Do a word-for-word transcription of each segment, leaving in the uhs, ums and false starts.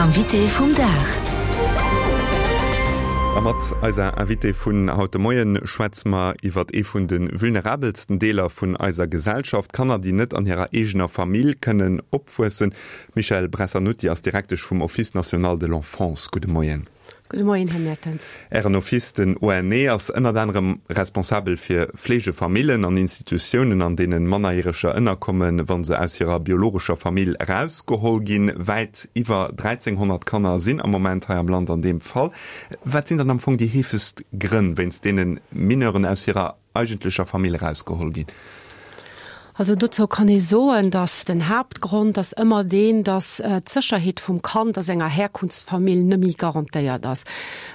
Invité vum Dag. A mat eiser Invitée vun haut de Moien schwätze mer iwwer ee vun de vulnerabelsten Deeler vun eiser Gesellschaft, Kanner, déi net an hirer eegener Famill kënnen opwuessen. D'Michèle Bressanutty ass Direktesch vum Office national de l'enfance. Gudde Moien. Gudde Moien, Här Mertens. Ären Office, den O N E, ass ënnert anerem responsabel fir Fleegefamillen an Institutiounen, an deenen Mannerjäreger ënnerkommen, wa se aus hirer biologescher Famill erausgeholl ginn. Wäit iwwer dräizénghonnert Kanner sinn am Moment hei am Land an deem Fall. Wat sinn dann am Fong déi heefegst Grënn, wéinst deene Mineuren aus hirer eigentlecher Famill erausgeholl ginn? Also dozou kann ee soen, datt den Haaptgrond ass ëmmer deen, datt d'Sécherheet vum Kand a senger Herkunftsfamill net méi garantéiert ass.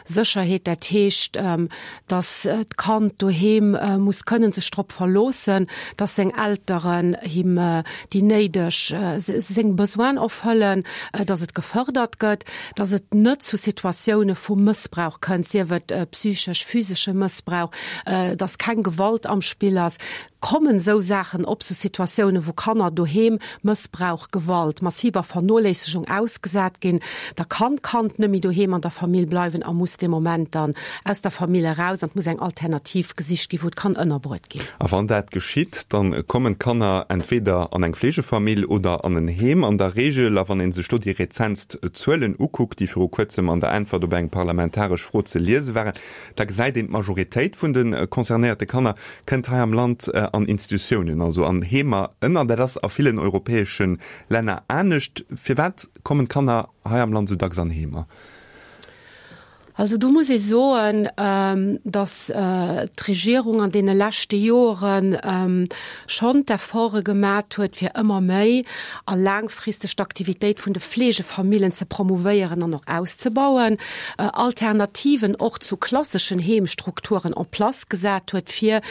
Sécherheet, dat heescht, datt d'Kand doheem muss kënnen sech drop verloossen, datt seng Elteren him déi néideg, seng Besoinen erfëllen, datt et gefërdert gëtt, datt et net zu Situatioune vu Mëssbrauch kënnt, sief et psychesch, physesche Mëssbrauch, datt keng Gewalt am Spill ass. Kommen esou Saachen op, sou Situatiounen, wou Kanner doheem Mëssbrauch, Gewalt, massiver Vernoléissegung ausgesat ginn, da kann d'Kand net méi doheem an der Famill bleiwen a muss dee Moment dann aus der Famill eraus an et muss eng Alternativ gesicht ginn, wou et kann ënnerbruet ginn. A wann dat geschitt, dann kommen d'Kanner entweder an eng Fleegefamill oder an en Heem an der Reegel. A wann ee sech do déi rezentst Zuelen ukuckt, déi viru kuerzem an der Äntwert op eng parlamentaresch Fro ze liese waren, da gesäit een, d'Majoritéit vun de concernéierte Kanner kënnt hei am Land an Institutiounen, also an Heemer ënner. Dat ass a villen europäesche Länner anescht. Firwat kommen d'Kanner hei am Land esou dacks an Heemer? Also do muss ee soen, datt d'Regierung an deene leschte Joren schonn d'Efforte gemat huet, fir ëmmer méi a laangfristeg d'Aktivitéit vun de Fleegefamillen ze promouvéieren an och auszebauen, Alternativen och zu klasseschen Heemstrukturen en place gesat huet, fir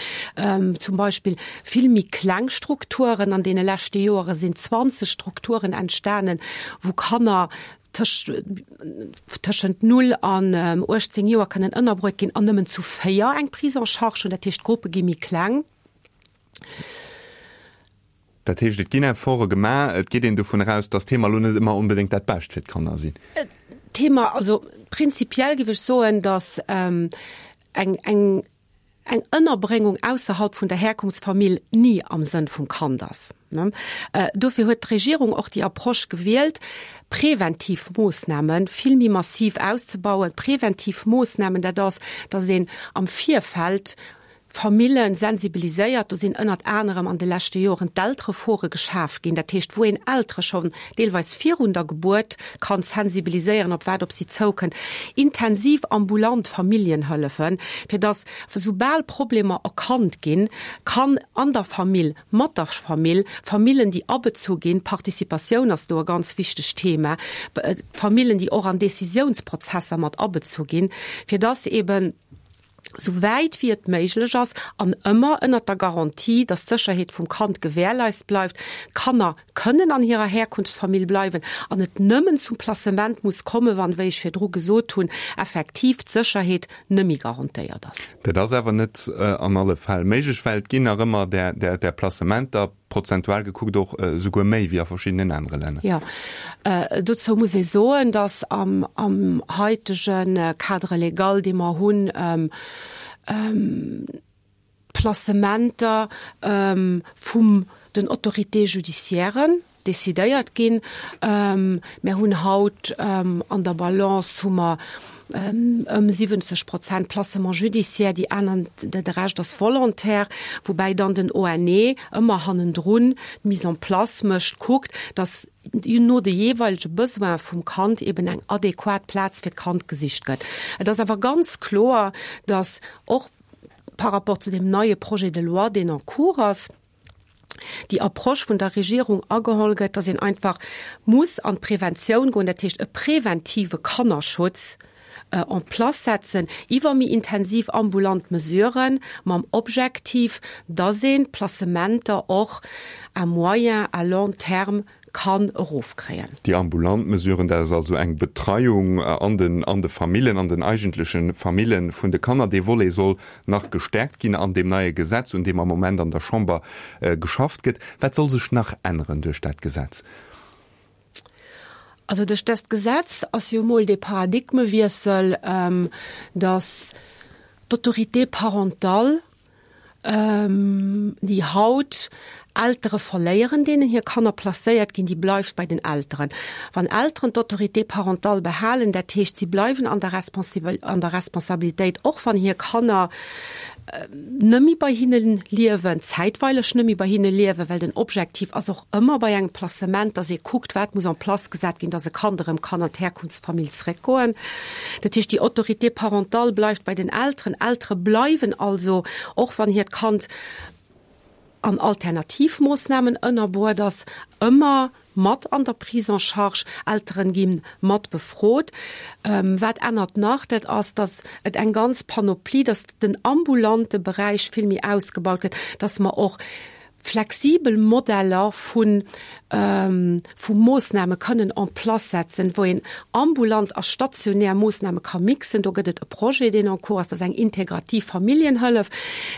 zum Beispill vill méi kleng Strukturen. An deene leschte Joere sinn zwanzeg Strukturen entstanen, wou Kanner tëschent null an uechtzéng Joer kënnen ënnerbruet ginn an nëmmen zu véier eng Prise en charge hunn. Dat heescht, d'Gruppe gi méi kleng. Dat heescht, et ginn Efforte gemaach, et geet een dovun eraus, datt d'Heemer elo net ëmmer onbedéngt dat Bescht fir d'Kanner sinn. D'Heemer, also prinzipiell géif ech soen, datt eng, eng, eng Ënnerbréngung ausserhalb vun der Herkunftsfamill ni am Sënn vum Kand ass. Dofir huet d'Regierung och déi Approche gewielt, preventiv Moossname vill méi massiv auszebauen. Preventiv Moossnamen, dat ass, datt een am Virfeld Famillen sensibiliséiert. Do sinn ënnert anerem an de leschte Joren d'Elterefore geschaf ginn, dat heescht wou een Eltere schonn deelweis virun der Gebuert kann sensibiliséieren, op wat op si zoukënnt. Intensiv ambulant Familljenhëllefen, fir datt soubal Problemer erkannt ginn, kann an der Famill, mat der Famill, Famillen déi abezu ginn, Participatioun ass do e ganz wichtegt Thema, Famillen déi och an Décisiounsprozesser mat abezu ginn, fir datt eben sou wäit wéi et méiglech ass an ëmmer ënnert der Garantie, dass d'Sécherheet vum Kand gewährleist bleift, d'Kanner kënnen an hirer Herkunftsfamill bleiwen an et nëmmen zum Placement muss kommen, wann, wéi ech virdru gesot hunn, effektiv d'Sécherheet nëmmi garantéiert ass. Dat ass awer net an alle Fäll méiglech, well et ginn nach ëmmer där där Placementer, prozentual gekuckt och esouguer méi wéi a verschiddenen anere Länner. Jo, dozou muss ee soen, dass am am haitege Cadre légal, dee mer hunn, d'Placementer vum den Autorités judiciairen decidéiert ginn. Mir hunn haut an der Balance hu mer ëm siwwenzeg Prozent Placement judiciaire, déi aner, de Rescht ass volontaire, woubäi dann den O N E ëmmer hannendrun d'Mise en place mécht, kuckt, datt no de jeeweilege Besoin vum Kand eben eng adequat Plaz fir d'Kand gesicht gëtt. Et ass awer ganz kloer, datt och par rapport zu deem neie Projet de loi, deen en cours ass, déi Approche vun der Regierung ageholl gëtt, dass een einfach muss an d'Preventioun goen, dat heescht e preventive Kannerschutz en place setzen iwwer méi intensiv ambulant Mesuren, mam Objektiv, dass een d'Placementer och à moyen, à long terme kann erofkréien. Déi ambulant Mesuren, dat ass also eng Betreiung an den an de Famillen, an den eigentleche Famille vun de Kanner. Dee Volet soll nach gestäerkt ginn an deem neie Gesetz, un deem am Moment an der Chamber geschafft gëtt. Wat soll sech nach änneren duerch dat Gesetz? Also duerch dëst Gesetz ass jo emol dee Paradigmewiessel, dass d'Autorité parentale, déi haut Eltere verléieren, deenen hir Kanner placéiert ginn, déi bleift bei den Elteren. Wann Elteren d'Autorité parentale behalen, dat heescht, si bleiwen an der an der Responsabilitéit, och wann hir Kanner nëmme bei hinne liewen, zäitweileg nëmme bei hinne liewen, well den Objektiv ass och ëmmer bei engem Placement, dass ee kuckt, wat muss en place gesat ginn, dass e Kand erëm kann an d'Herkunftsfamill zréckgoen. Dat heescht, déi Autorité parentale bleift bei den Elteren. Eltere bleiwen also, och wann hiert Kand an Alternativmoossnamen ënnerbruet ass, ëmmer mat an der Prise en charge, Elteren gi mat befrot. Wat ännert nach? Dat ass, dass et eng ganz Panoplie, dass den ambulante Beräich vill méi ausgebaut gëtt, dass mer och flexibel Modeller vu vu Moossname kënnen en place setzen, wou een ambulant a stationär Moossname ka mixen. Do gëtt et e Projet, deen en cours ass, dat ass eng integrativ Familljenhëllef,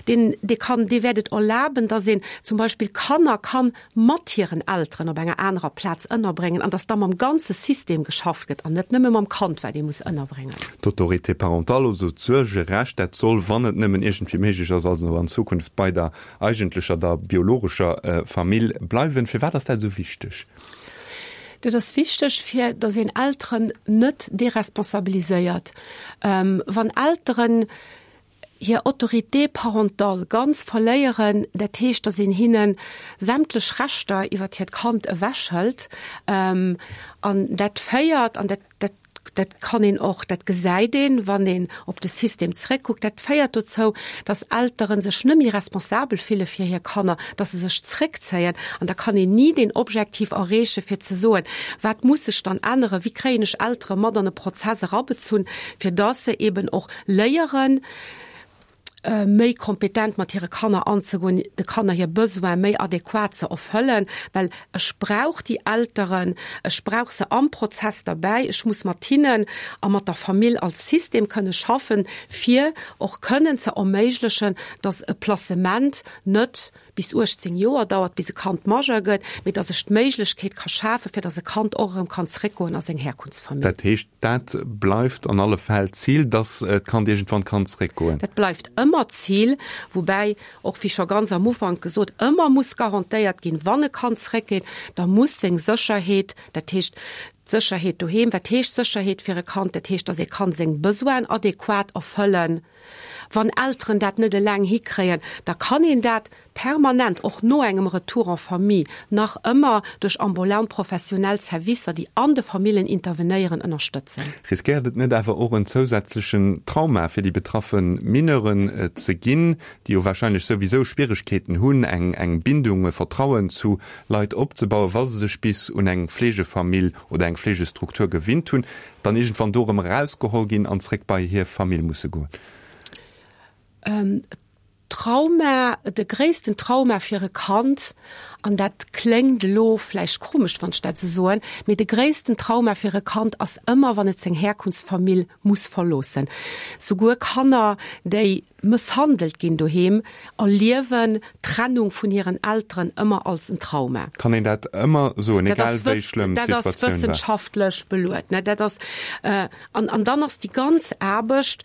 deen, dee kann, dee wäert et erlaben, dass een zum Beispill Kanner kann mat hiren Elteren op enger anerer Plaz ënnerbréngen an dass da mam ganze System geschafft gëtt an net nëmme mam Kand, wat ee muss ënnerbréngen. D'Autorité parentale, also d'Suergerecht, dat soll, wann et nëmmen iergendwéi méiglech ass, also an Zukunft bei der eigentlecher, der biologescher Famill bleiwen. Firwat ass dat esou wichteg? Dat ass wichteg, fir dass een Elteren net deresponsabiliséiert. Wann Elteren hir Autorité parentale ganz verléieren, dat heescht, dass een hinne sämtlech Rechter iwwert hiert Kand ewechhëlt, an dat féiert, an dat, dat, dat kann een och, dat gesäit een, wann een op de System zréckkuckt, dat féiert dozou, dass Eltere sech net méi responsabel fille fir hir Kanner, dass se sech zréckzéien, an da kann een ni deen Objektiv erreeche fir ze soen, wat muss sech dann änneren, wéi kréien ech Eltere mat an e Prozess erabezunn, fir dass se eben och léieren, méi kompetent mat hire Kanner anzegoen, de Kanner hir Besoine méi adequat ze erfëllen, well ech brauch déi Elteren, ech brauch se am Prozess derbäi, ech muss mat hinnen a mat der Famill als System kënne schaffen, fir och kënnen ze erméiglechen, dass e Placement net bis uechtzéng Joer dauert, bis e Kand Majeur gëtt, mee dass ech d'Méiglechkeet ka schafen, fir dass e Kand och erëm kann zréckgoen a seng Herkunftsfamill. Dat heescht, dat bleift an alle Fäll d'Zil, dass d'Kand iergendwann kann zréckgoen? Dat bleift ëmmer d'Zil, woubäi och, wéi scho ganz am Ufank gesot, ëmmer muss garantéiert ginn, wann e Kand zréckgeet, da muss seng Sécherheet, dat heescht d'Sécherheet doheem, wat heescht Sécherheet fir e Kand? Dat heescht, dass e kann seng Besoinen adequat erfëllen. Wann Elteren dat net eleng hikréien, da kann een dat permanent, och no engem Retour en famille, nach ëmmer duerch ambulant professionell Servicer, déi an de Famillen intervenéieren, ënnerstëtzen. Riskéiert et net awer och en zousätzlechen Trauma fir déi betraffe Mineuren ze ginn, déi jo wahrscheinlech souwisou Schwieregkeeten hunn, eng eng Bindung, e Vertrauen zu Leit opzebauen, wa se sech bis un eng Fleegefamill oder eng Fleegestruktur gewinnt hunn, dann iergendwann do erëm erausgeholl ginn an zréck bei hir Famill musse goen? Trauma, de gréissten Trauma fir e Kand, an dat kléngt elo vläicht komesch, wann ech dat esou soen, mee de gréissten Trauma fir e Kand ass ëmmer, wann et seng Herkunftsfamill muss verloossen. Souguer Kanner, déi mësshandelt ginn doheem, erliewen d'Trennung vun hiren Elteren ëmmer als en Trauma. Kann een dat ëmmer soen, egal wéi schlëmm d'Situatioun war? Dat ass wëssenschaftlech beluet. Dat ass, an, an dann ass déi ganz Aarbecht,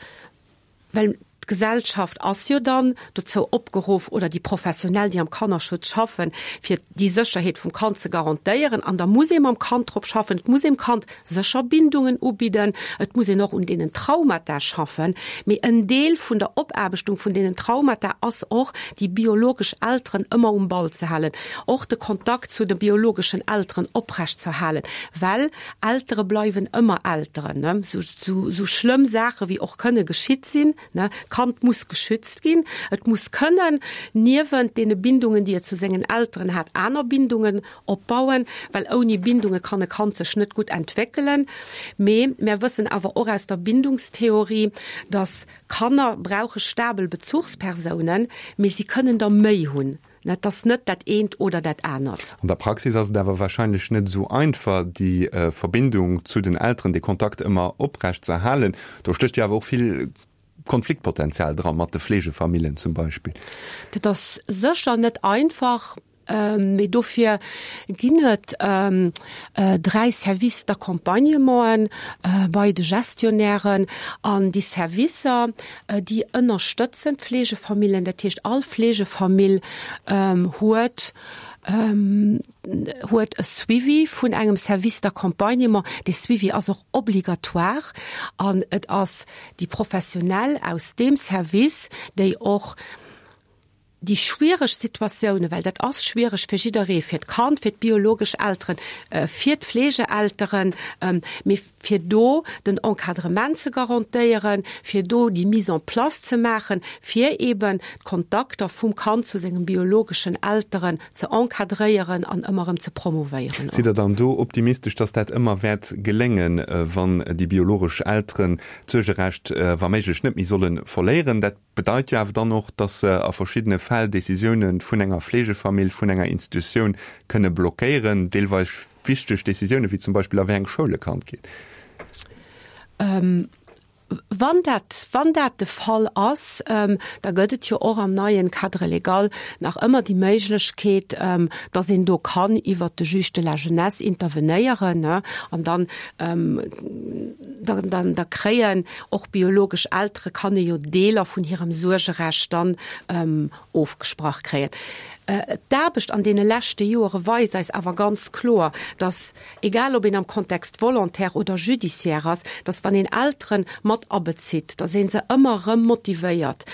well d'Gesellschaft ass jo dann dozou opgeruff, oder déi Professionell, déi am Kannerschutz schaffen, fir déi Sécherheet vum Kand ze garantéieren. An da muss ee mam Kand drop schaffen, et muss ee dem Kand sécher Bindungen ubidden, et muss een och un deenen Traumata schaffen. Mee en Deel vun der Opaarbechtung vun deenen Traumata ass och, déi biologesch Elteren ëmmer um Ball ze halen, och de Kontakt zu de biologeschen Elteren oprechtzeerhalen, well Eltere bleiwen ëmmer Elteren, sou schlëmm Saache wéi och kënne geschitt sinn. D'Kand muss geschützt ginn. Et muss kënnen niewent deene Bindungen, déi et zu sengen Elteren hat, aner Bindungen opbauen, well ouni Bindunge kann e Kand sech net gutt entwéckelen. Mee mär wëssen awer och aus der Bindungstheorie, dass Kanner brauche stabel Bezuchspersounen, mee si kënnen der méi hunn. Et ass net dat eent oder dat anert. An der Praxis ass et awer wahrscheinlech net esou einfach, déi Verbindung zu den Elteren, dee Kontakt ëmmer oprecht ze erhalen. Do stécht jo awer och vill Konfliktpotenzial dra mat de Fleegefamillen zum Beispill. Dat ass sécher net einfach. Mee dofir ginn et dräi Services d'accompagnementen bei de Gestionnairen. An déi Servicer, déi ënnerstëtzen d'Fleegefamilljen. Dat heescht, all Fleegefamill huet huet e Suivi vun engem Service d'accompagnement. Dee Suivi ass och obligatoire an et ass déi Professionell aus deem Service, déi och déi schwiereg Situatiounen, well dat ass schwiereg fir jidderee, fir d'Kand, fir d'biologesch Elteren, fir d'Fleegeelteren, mee fir do den Encadrement ze garantéieren, fir do déi Mise en place ze maachen, fir eeben d'Kontakter vum Kand zu sengem biologeschen Elteren ze encadréieren an ëmmer erëm ze promouvéieren. Sidd Der dann do optimistesch, dass dat ëmmer wäert geléngen, wann déi biologesch Elteren d'Suergerecht wa méiglech net méi solle verléieren? Dat bedeit jo awer dann och, dass se a verschiddene Fäll Décisioune vun enger Fleegefamill, vun enger Institutioun kënne blockéieren, deelweis wichteg Décisioune wéi zum Beispill a wéi eng Schoul e Kand geet. Wann dat, wann dat de Fall ass, da gëtt et jo och am neien Cadre légal nach ëmmer déi Méiglechkeet, dass een do kann iwwert de Juge de la jeunesse intervenéieren, an dann, dann, da kréien och biologesch Eltere kann e jo Deeler vun hirem Suergerecht dann ofgesprach kréien. D'Aarbecht an deene leschte Joere weist eis awer ganz kloer, dass, egal ob een am Kontext volontaire oder judiciaire ass, dass wann een Eltere mat abezitt, dass ee se ëmmer erëm motivéiert,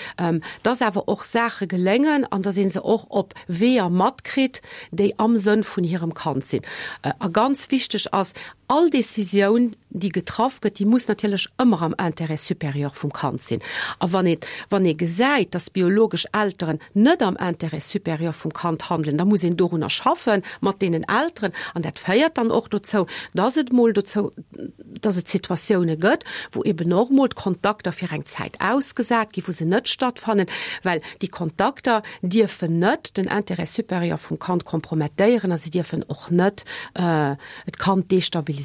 dass awer och Saache geléngen an dass ee se och op Weeër matkritt, déi am Sënn vun hirem Kand sinn. A ganz wichteg ass, All Décisioun, déi getraff gëtt, déi muss natierlech ëmmer am Intérêt supérieur vum Kand sinn. A wann ee, wann ee gesäit, dass biologesch Elteren net am Intérêt supérieur vum Kand handelen, da muss een dorunner schaffen, mat deenen Elteren. An dat féiert dann och dozou, dass et mol dozou, dass et Situatioune gëtt, wou eben och mol d'Kontakter fir eng Zäit ausgesat ginn, wou se net stattfannen, well déi Kontakter dierfen net den Intérêt supérieur vum Kand kompromettéieren a si dierfen och net d'Kand destabiliséieren.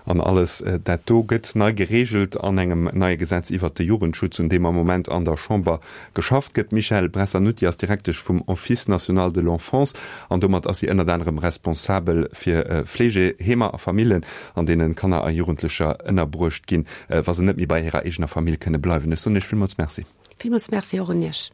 An alles dat do gëtt nei gereegelt an engem neie Gesetz iwwert de Jugendschutz, un deem am Moment an der Chamber geschafft gëtt. D'Michèle Bressanutty ass Direktesch vum Office national de l'enfance an domat ass si ënnert anerem responsabel fir Fleegeheemer a Famillen, an deenen Kanner a Jugendlecher ënnerbruecht ginn, wa se net méi bei hirer eegener Famill kënne bleiwen. Ech soen Iech villmools Merci. Villmools Merci och un Iech.